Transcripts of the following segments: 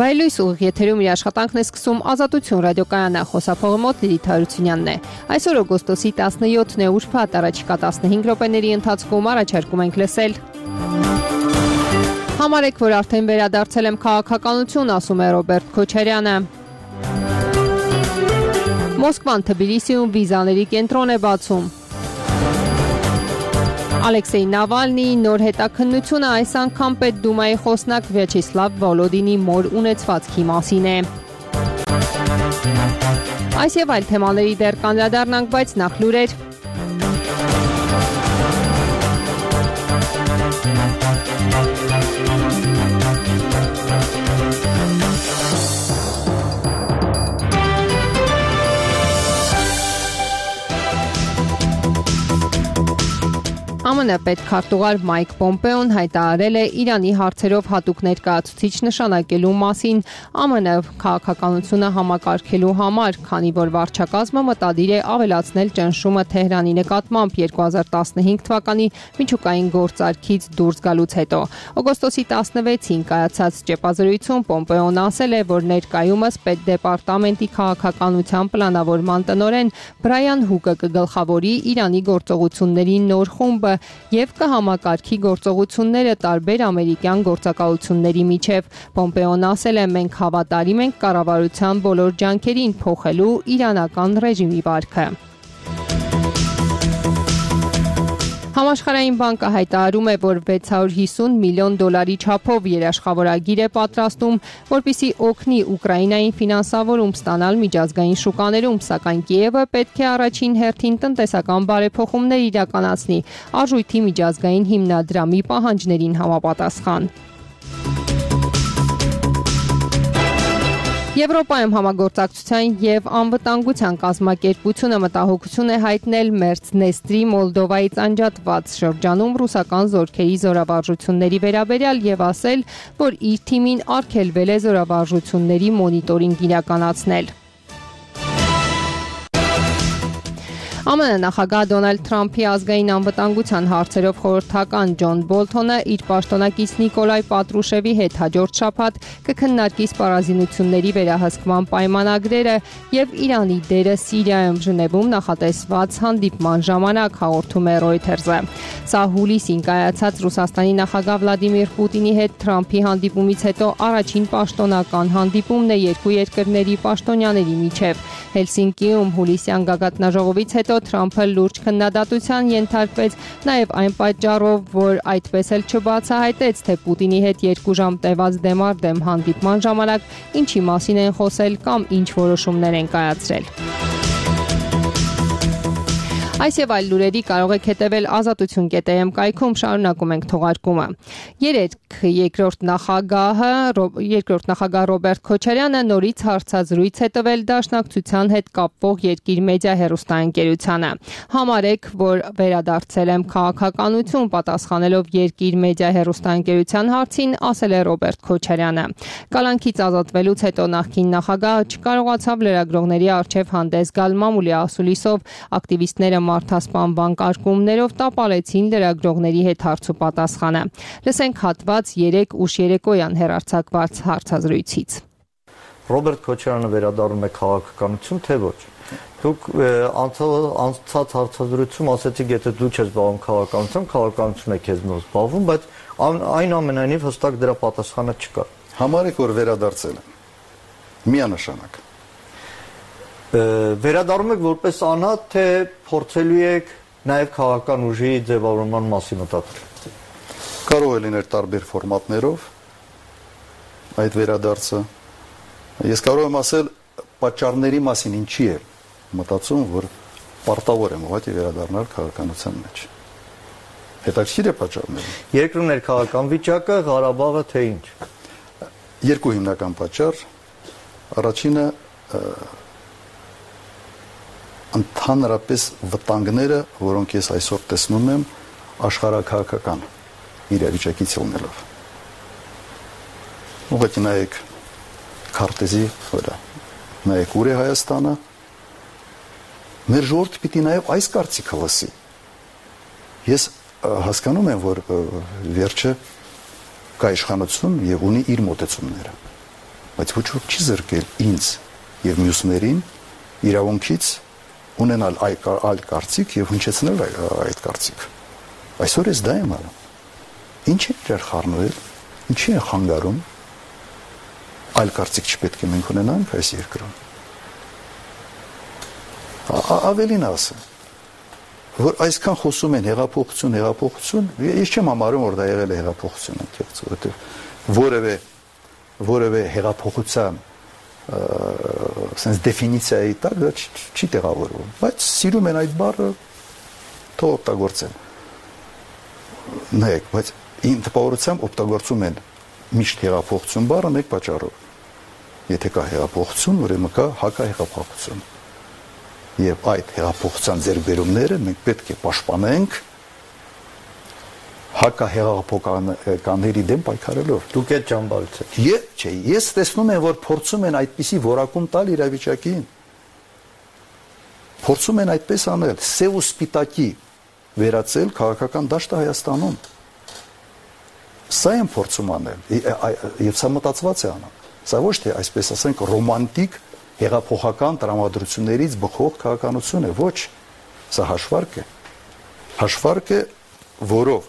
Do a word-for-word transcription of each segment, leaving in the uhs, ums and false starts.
Վայելույս ուղիղ եթերում իր աշխատանքն է սկսում Ազատություն ռադիոկայանը, խոսափողի մոտ Լիլիթ Հարությունյանն է։ Այսօր օգոստոսի տասնյոթն է, ուրբաթ, առաջիկա տասնհինգ րոպեների ընթացքում առաջարկում ենք լսել։ Համարեք, որ արդեն վերադարձել եմ քաղաքականություն, ասում է Ռոբերտ Քոչարյանը։ Մոսկվան Թբիլիսիում վիզաների կենտրոն է բացում։ Ալեքսեյ Նավալնիի նոր հետաքննությունը այս անգամ Պետդումայի խոսնակ Վյաչեսլավ Վոլոդինի մոր ունեցվածքի մասին է։ Այս եւ այլ թեմաների դեռ կանդրադառնանք, բայց նախ լուրեր։ ԱՄՆ պետքարտուղար Մայք Պոմպեոն հայտարարել է Իրանի հարցերով հատուկ ներկայացուցիչ նշանակելու մասին ԱՄՆ քաղաքականությունը համակարգելու համար, քանի որ վարչակազմը մտադիր է ավելացնել ճնշումը Թեհրանի նկատմամբ երկու հազար տասնհինգ թվականի միջուկային գործարքից դուրս գալուց հետո։ Օգոստոսի տասնվեցին կայացած ճեպազրույցում Պոմպեոն ասել է, որ ներկայումս պետդեպարտամենտի քաղաքականության պլանավորման տնօրեն Բրայան Հուկը կգլխավորի Իրանի գործողությունների նոր խումբը և կհամակարգի գործողությունները տարբեր ամերիկյան գործակալությունների միջև։ Պոմպեոն ասել է, մենք հավատարիմ ենք կառավարության բոլոր ջանքերին փոխելու իրանական ռեժիմի վարքը։ Համաշխարհային բանկը հայտարարում է, որ վեց հարյուր հիսուն միլիոն դոլարի չափով երաշխավորագիր է պատրաստում, որպեսզի օգնի Ուկրաինային ֆինանսավորում ստանալ միջազգային շուկաներում, սակայն Կիևը պետք է առաջին հերթին տնտեսական բարեփոխումներ իրականացնի արժույթի միջազգային հիմնադրամի պահանջներին համապատասխան։ Եվրոպայում համագործակցության և անվտանգության կազմակերպությունը մտահոգություն է հայտնել Մերձնեստրի Մոլդովայից անջատված շրջանում ռուսական զորքերի զորավարժությունների վերաբերյալ և ասել, որ իր թիմին արգելվել է զորավարժությունների մոնիտորինգ իրականացնել։ ԱՄՆ նախագահ Դոնալդ Թրամփի ազգային անվտանգության հարցերով խորհրդական Ջոն Բոլթոնը իր պաշտոնակից Նիկոլայ Պատրուշևի հետ հաջորդ շաբաթ կքննարկի սպառազինությունների վերահսկման պայմանագրերը և Իրանի դերը Սիրիայում Ժնևում նախատեսված հանդիպման ժամանակ, հաղորդում է Reuters-ը։ Սա հուլիսին կայացած Ռուսաստանի նախագահ Վլադիմիր Պուտինի հետ Թրամփի հանդիպումից հետո առաջին պաշտոնական հանդիպումն է երկու երկրների պաշտոնյաների միջև։ Հելսինկիում հուլիսյան գագաթնաժողովից հետո Թրամփը լուրջ քննադատության ենթարկվեց նաև այն պատճառով, որ այդպես էլ չբացահայտեց, թե Պուտինի հետ երկու ժամ տևած դեմառդեմ հանդիպման ժամանակ ինչի մասին են խոսել կամ ինչ որոշումներ են կայացրել։ Այս եւ այլ լուրերի կարող եք հետևել ազատություն կետ է էմ կայքում, շարունակում ենք թողարկումը։ Երեկ երկրորդ նախագահը երկրորդ նախագահ Ռոբերտ Քոչարյանը նորից հարցազրույց է տվել Դաշնակցության հետ կապվող Երկիր մեդիա հեռուստաընկերությանը։ Համարեք, որ վերադարձել եմ քաղաքականություն, պատասխանելով Երկիր մեդիա հեռուստաընկերության հարցին, ասել է Ռոբերտ Քոչարյանը։ Կալանքից ազատվելուց հետո նախկին նախագահը չկարողացավ լրագրողների առջև հանդես գալ մամուլի ասուլիսով, ակտիվիստները մարդասպանման կարգումներով տապալեցին լրագրողների հետ հարցուպատասխանը։ Լսենք հատված երեկ ուշ երեկոյան հեռարձակված հարցազրույցից։ Ռոբերտ Քոչարյանը վերադառնում է քաղաքականություն, թե ոչ։ Դուք անցած հարցազրույցում ասեցիք, եթե դու չես զբաղվում քաղաքականությամբ, քաղաքականությունը քեզ մոտ զբաղվում, բայց այնուամենայնիվ հստակ դրա պատասխանը չկա։ Համարեք, որ վերադարձել եմ։ Միանշանակ։ Վերադառնում եք որպես անհատ, թե փորձելու եք նաև քաղաքական ուժի ձևավորման մասին մտածել։ Կարող է լինել տարբեր ֆորմատներով այդ վերադարձը։ Ես կարող եմ ասել պատճառների մասին ինչի է մտածում, որ պարտավոր եմ ուղղակի վերադառնալ քաղաքականության մեջ։ Հետաքրքիր է պատճառները։ Երկրում ներքաղաքական վիճակը, Ղարաբաղը, թե ինչ։ Երկու հիմնական պատճառ։ Առաջինը ընդհանրապես վտանգները, որոնք ես այսօր տեսնում եմ աշխարհաքաղաքական իրավիճակից ելնելով։ Ուղղակի նայեք քարտեզի վրա, նայեք ուր է Հայաստանը, մեր ժողովուրդը պիտի նաև այս կարծիքը լսի։ Ես հասկանում եմ, որ վերջը կա իշխանություն եւ ունի իր մոտեցումները։ բայց ոչ ոք չի զրկել ինձ եւ մյուսներին իրավունքից ունենալ այլ կարծիք եւ հնչեցնել այդ կարծիքը։ Այսօր ես դա եմ անում։ Ինչ է դեռ խառնվել, ինչի է խանգարում, այլ կարծիք չպետք է մենք ունենանք այս երկրում։ Ավելին ասեմ, որ այսքան խոսում են հեղափոխություն, հեղափոխություն, ես չեմ համարում, որ դա եղել է հեղափոխություն, որովհետեւ որևէ որևէ հեղափոխության sense դեֆինիցիայի տակ դա չի տեղավորվում, բայց սիրում են այդ բառը թող օգտագործեն։ Նայեք, բայց ին տպավորությամբ օգտագործում են միշտ հեղափոխություն բառը մեկ պատճառով։ Եթե կա հեղափոխություն, ուրեմն կա հակահեղափոխություն։ Եվ այդ հեղափոխության ձեռքբերումները մենք պետք է պաշտպանենք հակահեղափոխականների դեմ պայքարելով։ Դուք այդ ճամբարից եք։ Չէ, ես տեսնում եմ, որ փորձում են այդպիսի որակում տալ իրավիճակին։ Փորձում են այդպես անել, սև ու սպիտակի վերածել քաղաքական դաշտը Հայաստանում։ Սա են փորձում անել, եւ սա մտածված է անում։ Սա ոչ թե այսպես ասենք ռոմանտիկ հեղափոխական տրամադրություններից բխող քաղաքականություն է, ոչ, սա հաշվարկ է։ Հաշվարկ է, որով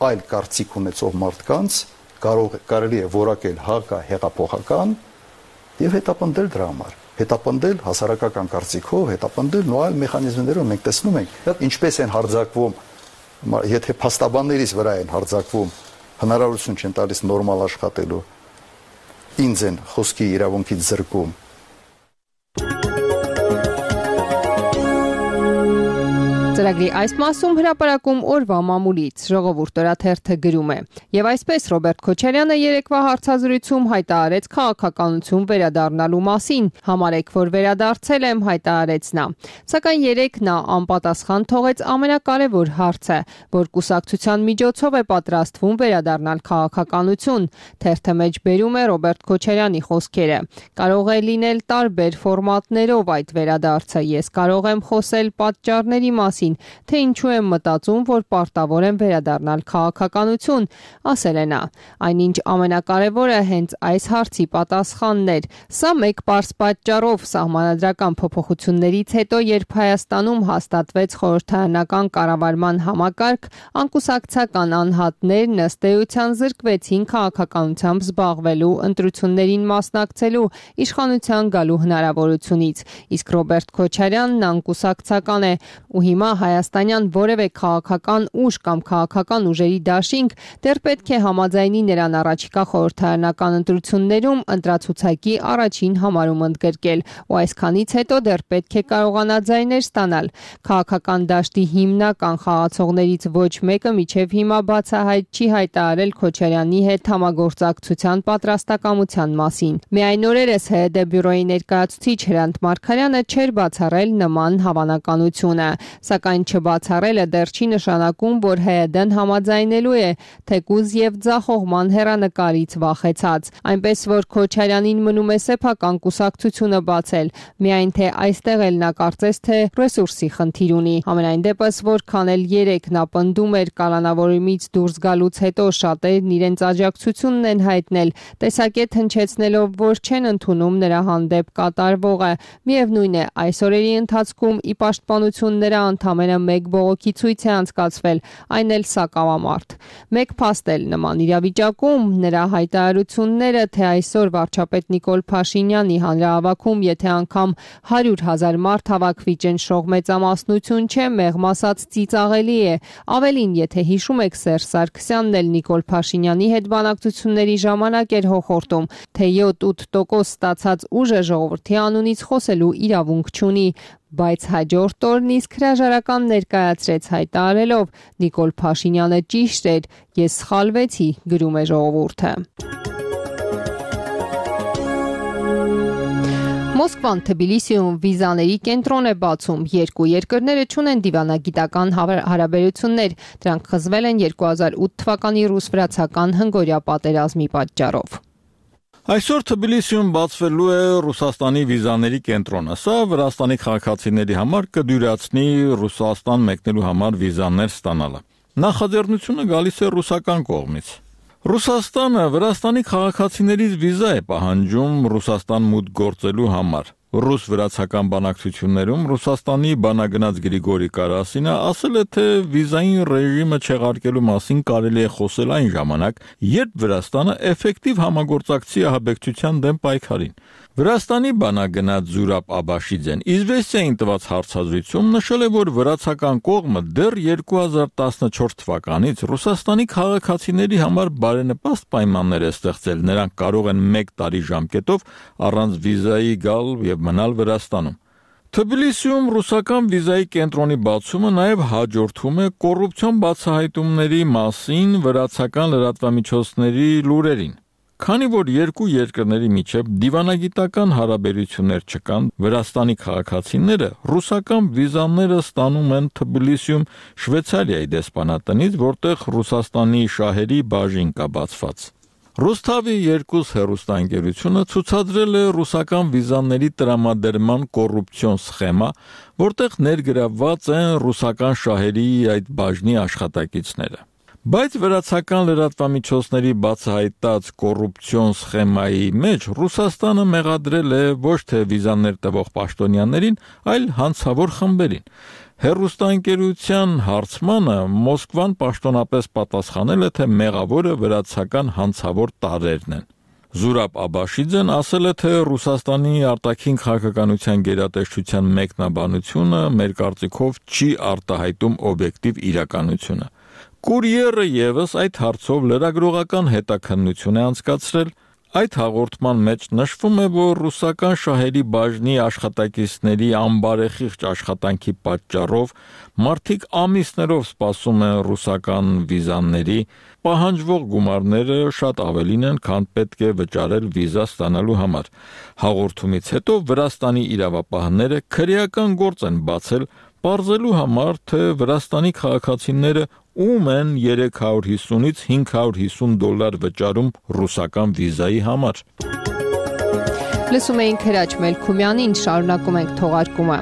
այլ կարծիք ունեցող մարդկանց կարող կարելի է որակել հակահեղափոխական եւ հետապնդել դրա համար, հետապնդել հասարակական կարծիքով, հետապնդել նույն այլ մեխանիզմներով մենք տեսնում ենք ինչպես են հարձակվում, եթե փաստաբաններից վրա են հարձակվում, հնարավորություն չեն տալիս նորմալ աշխատելու, ինձ են խոսքի իրավունքից զրկում։ Ծրագրի այս մասում հրապարակում օրվա մամուլից Ժողովուրդ օրաթերթը գրում է. Եվ այսպես Ռոբերտ Քոչարյանը երեկվա հարցազրույցում հայտարարեց քաղաքականություն վերադառնալու մասին, համարեք, որ վերադարձել եմ, հայտարարեց նա։ Սակայն երեկ նա անպատասխան թողեց ամենակարևոր հարցը, որ կուսակցության միջոցով է պատրաստվում վերադառնալ քաղաքականություն։ Թերթը մեջ բերում է Ռոբերտ Քոչարյանի խոսքերը. Կարող է լինել տարբեր ֆորմատներով այդ վերադարձը, ես կարող եմ խոսել պատճառների մասին, թե ինչու եմ մտածում, որ պարտավոր եմ վերադառնալ քաղաքականություն, ասել է նա։ Այնինչ ամենակարևորը հենց այս հարցի պատասխանն էր։ Սա մեկ պարզ պատճառով սահմանադրական փոփոխություններից հետո, երբ Հայաստանում հաստատվեց խորհրդարանական կառավարման համակարգ, անկուսակցական անհատներն ըստ էության զրկվեցին քաղաքականությամբ զբաղվելու, ընտրություններին մասնակցելու, իշխանության գալու հնարավորությունից։ Իսկ Ռոբերտ Քոչարյանն անկուսակցական է ու հիմա հայաստանյան որևէ քաղաքական ուժ կամ քաղաքական ուժերի դաշինք դեռ պետք է համաձայնի նրան առաջիկա խորհրդարանական ընտրություններում ընտրացուցակի առաջին համարում ընդգրկել ու այսքանից հետո դեռ պետք է կարողանա ձայներ ստանալ։ Քաղաքական դաշտի հիմնական խաղացողներից ոչ մեկը մինչև հիմա բացահայտ չի հայտարարել Քոչարյանի հետ համագործակցության պատրաստակամության մասին։ Միայն օրերս ՀՀԴ բյուրոյի ներկայացուցիչ Հրանտ Մարգարյանը չէր բացառել նման հավանականությունը, սակայն չբացառելը դեռ չի նշանակում, որ ՀՀԴ-ն համաձայնելու է, թեկուզ եւ ձախողման հեռանկարից վախեցած։ Այնպես որ Քոչարյանին մնում է սեփական կուսակցությունը բացել, միայն թե այստեղ էլ նա կարծես թե ռեսուրսի խնդիր ունի։ Համենայն դեպս, որքան էլ երեք նա պնդում էր կալանավորումից դուրս գալուց հետո շատերն իրենց աջակցությունն են հայտնել, տեսակետ հնչեցնելով, որ չեն ընդունում նրա հանդեպ կատարվողը։ Միևնույն է, այս օրերի ընթացքում ի պաշտպանություն նրա ընդամենը մեկ բողոքի ցույց է անցկացվել, այն էլ սակավամարտ։ Մեկ փաստ էլ նման իրավիճակում նրա հայտարարությունները, թե այսօր վարչապետ Նիկոլ Փաշինյանի հանրահավաքում, եթե անգամ հարյուր հազար մարդ հավաքվի ճնշող մեծամասնություն չէ, մեղմ ասած ծիծաղելի է։ Ավելին, եթե հիշում եք, Սերժ Սարգսյանն էլ Նիկոլ Փաշինյանի հետ բանակցությունների ժամանակ էր հոխորտում, թե յոթ-ութ տոկոս ստացած ուժը ժողովրդի անունից խոսելու իրավունք չունի, բայց հաջորդ օրն իսկ հրաժարական ներկայացրեց հայտարարելով. Նիկոլ Փաշինյանը ճիշտ էր, ես սխալվեցի, գրում է Ժողովուրդը։ Մոսկվան Թբիլիսիում վիզաների կենտրոն է բացում։ Երկու երկրները չունեն դիվանագիտական հարաբերություններ, դրանք խզվել են երկու հազար ութ թվականի ռուս-վրացական հնգօրյա պատերազմի պատճառով։ Այսօր Թբիլիսիում բացվելու է Ռուսաստանի վիզաների կենտրոնը։ Սա Վրաստանի քաղաքացիների համար կդյուրացնի Ռուսաստան մեկնելու համար վիզաներ ստանալը։ Նախաձեռնությունը գալիս է ռուսական կողմից։ Ռուսաստանը Վրաստանի քաղաքացիներից վիզա է պահանջում Ռուսաստան մուտք գործելու համար։ Ռուս-վրացական բանակցություններում Ռուսաստանի բանագնաց Գրիգորի Կարասինը ասել է, թե վիզային ռեժիմը չեղարկելու մասին կարելի է խոսել այն ժամանակ, երբ Վրաստանը էֆեկտիվ համագործակցի ահաբեկչության դեմ պայքարին։ Վրաստանի բանագնաց Զուրաբ Աբաշիձեն Իզվեստիային տված հարցազրույցում նշել է, որ վրացական կողմը դեռ երկու հազար տասնչորս թվականից Ռուսաստանի քաղաքացիների համար բարենպաստ պայմաններ է ստեղծել, նրանք կարող են մեկ տարի ժամկետով առանց վիզայի գալ եւ մնալ Վրաստանում։ Թբիլիսիում ռուսական վիզայի կենտրոնի բացումը նաև հաջորդում է կոռուպցիոն բացահայտումների մասին վրացական լրատվամիջոցների լուրերին։ Քանի որ երկու երկրների միջև դիվանագիտական հարաբերություններ չկան, Վրաստանի քաղաքացիները ռուսական վիզաները ստանում են Թբիլիսիում Շվեյցարիայի դեսպանատնից, որտեղ Ռուսաստանի շահերի բաժին կա բացված։ Ռուսթավի երկուս հեռուստաընկերությունը ցուցադրել է ռուսական վիզաների տրամադրման կոռուպցիոն սխեմա, որտեղ ներգրավված են ռուսական շահերի այդ բաժնի աշխատակիցները։ Բայց վրացական լրատվամիջոցների բացահայտած կոռուպցիոն սխեմայի մեջ Ռուսաստանը մեղադրել է ոչ թե վիզաներ տվող պաշտոնյաներին, այլ հանցավոր խմբերին։ Հեռուստաընկերության հարցմանը Մոսկվան պաշտոնապես պատասխանել է, թե մեղավորը վրացական հանցավոր տարրերն են։ Զուրաբ Աբաշիձեն ասել է, թե Ռուսաստանի արտաքին քաղաքականության գերատեսչության մեկնաբանությունը մեր կարծիքով չի արտահայտում օբյեկտիվ իրականությունը։ Կուրիերը եւս այդ հարցով լրագրողական հետաքննություն է անցկացրել։ Այդ հաղորդման մեջ նշվում է, որ ռուսական շահերի բաժնի աշխատակիցների անբարեխիղճ աշխատանքի պատճառով մարդիկ ամիսներով սպասում են ռուսական վիզաների, պահանջվող գումարները շատ ավելին են, քան պետք է վճարել վիզա ստանալու համար։ Հաղորդումից հետո Վրաստանի իրավապահները քրեական գործ են բացել, պարզելու համար, թե Վրաստանի քաղաքացիները ում են երեք հարյուր հիսունից հինգ հարյուր հիսուն դոլար վճարում ռուսական վիզայի համար։ Լսում էինք Հրաչ Մելքումյանին, շարունակում ենք թողարկումը։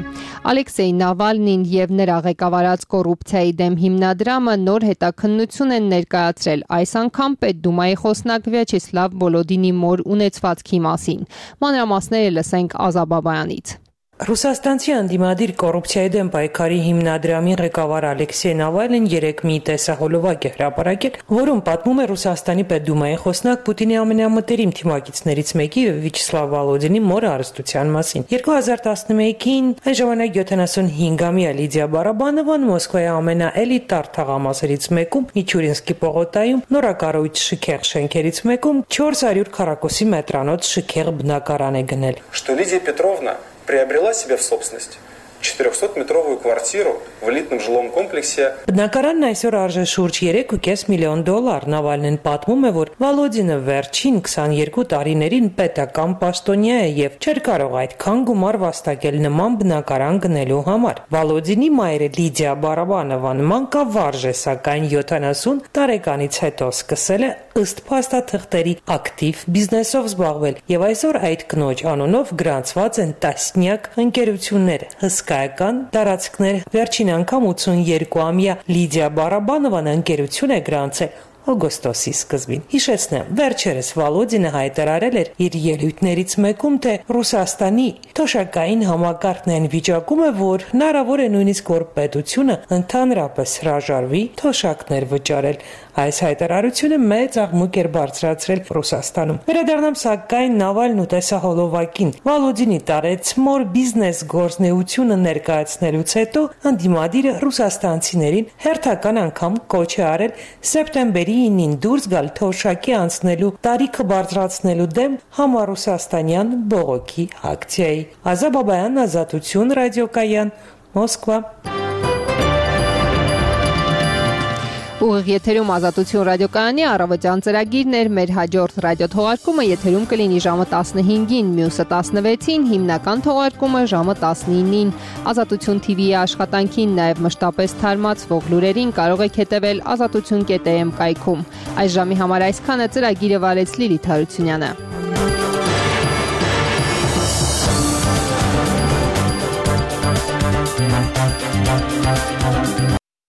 Ալեքսեյ Նավալնին եւ նրա ղեկավարած կոռուպցիայի դեմ հիմնադրամը նոր հետաքննություն են ներկայացրել, այս անգամ Պետդումայի խոսնակ Վյաչեսլավ Վոլոդինի մոր ունեցվածքի մասին։ Մանրամասները լսենք Ազա Բաբայանից։ Ռուսաստանցի անդիմադիր կոռուպցիայի դեմ պայքարի հիմնադրամի ղեկավար Ալեքսեյ Նավալնին երեկ մի տեսահոլովակ է հրապարակել, որում պատմում է Ռուսաստանի Պետդումայի խոսնակ Պուտինի ամենամտերիմ թիմակիցներից մեկի Վյաչեսլավ Վոլոդինի մոր հարստության մասին։ երկու հազար տասնմեկին այն ժամանակ յոթանասունհինգամյա Լիդիա Բարաբանովան Մոսկվայի ամենաէլիտար թաղամասերից մեկում Միչուրինսկի պողոտայում նորակառույց շքեղ շենքերից մեկում չորս հարյուր քառակուսի մետրանոց շքեղ բնակարան է գնել։ Что Лидия Петровна приобрела себе в собственность четырехсотметровую квартиру в элитном жилом комплексе. Բնակարանն այսօր արժե շուրջ երեք ու կես միլիոն դոլար։ Նավալնին պատմում է, որ Վոլոդինը վերջին քսաներկու տարիներին պետական պաշտոնյա է եւ չէր կարող այդքան գումար վաստակել նման բնակարան գնելու համար։ Վոլոդինի մայրը Լիդիա Բարաբանովան մանկավարժ է, սակայն յոթանասուն տարեկանից հետո սկսել է ըստ փաստաթղթերի ակտիվ բիզնեսով զբաղվել եւ այսօր այդ կնոջ անունով գրանցված են տասնյակ ընկերություններ, հսկայական տարածքներ։ Վերջին անգամ ութսունյոթամյա Լիդիա Բարաբանովան ընկերություն է գրանցել օգոստոսի սկզբին։ Հիշեցնեմ, վերջերս Վոլոդինը հայտարարել էր իր ելույթներից մեկում, թե Ռուսաստանի թոշակային համակարգն այն վիճակում է, որ հնարավոր է նույնիսկ որ պետությունը ընդհանրապես հրաժարվի թոշակներ վճարել։ Այս հայտարարությունը մեծ աղմուկ էր բարձրացրել Ռուսաստանում։ Վերադառնամ սակայն Նավալն ու տեսահոլովակին։ Վոլոդինի տարեց մոր բիզնես գործնեությունը ներկայացնելուց հետո անդիմադիրը ռուսաստանցիներին հերթական անգամ կոչ է արել սեպտեմբերի ինին դուրս գալ թոշակի անցնելու տարիքը բարձրացնելու դեմ համառուսաստանյան բողոքի ակցիայի։ Ազա Բաբայան, Ազատություն, ռադիոկայան, Մոսկվա։ Ուղիղ եթերում Ազատություն ռադիոկայանի առավոտյան ծրագիրն էր, մեր հաջորդ ռադիոթողարկումը եթերում կլինի ժամը տասնհինգին, մյուսը տասնվեցին, հիմնական թողարկումը ժամը տասնինին։ Ազատություն թի վիի աշխատանքին, նաև մշտապես թարմացվող լուրերին կարող եք հետևել ազատություն կետ է էմ կայքում։ Այս ժամի համար այսքանը, ծրագիրը վարեց Լիլիթ Հարությունյանը։